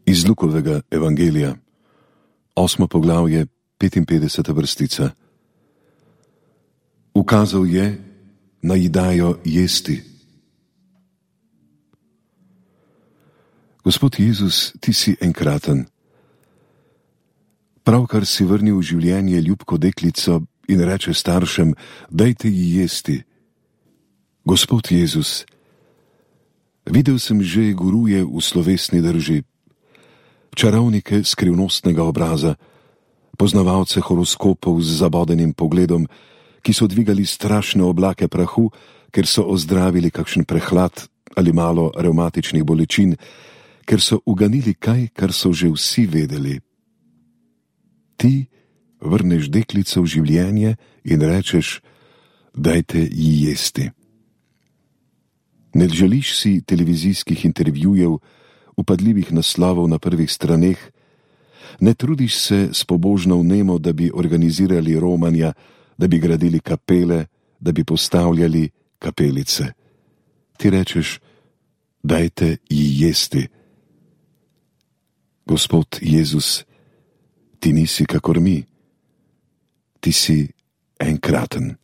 Iz Lukovega evangelija, 8. poglavje, 55. vrstica. Ukazal je, naj dajo jesti. Gospod Jezus, ti si enkraten. Pravkar si vrnil v življenje ljubko deklico in reče staršem, dajte ji jesti. Gospod Jezus, videl sem že guruje v slovesni drži, čarovnike skrivnostnega obraza, poznavalce horoskopov z zabodenim pogledom, ki so dvigali strašne oblake prahu, ker so ozdravili kakšen prehlad ali malo revmatičnih bolečin, ker so uganili kaj, kar so že vsi vedeli. Ti vrneš deklico v življenje in rečeš, dajte ji jesti. Ne želiš si televizijskih intervjujev, upadljivih naslovov na prvih straneh, ne trudiš se s pobožno vnemo, da bi organizirali romanja, da bi gradili kapele, da bi postavljali kapelice. Ti rečeš, dajte ji jesti. Gospod Jezus, ti nisi kakor mi, ti si enkraten.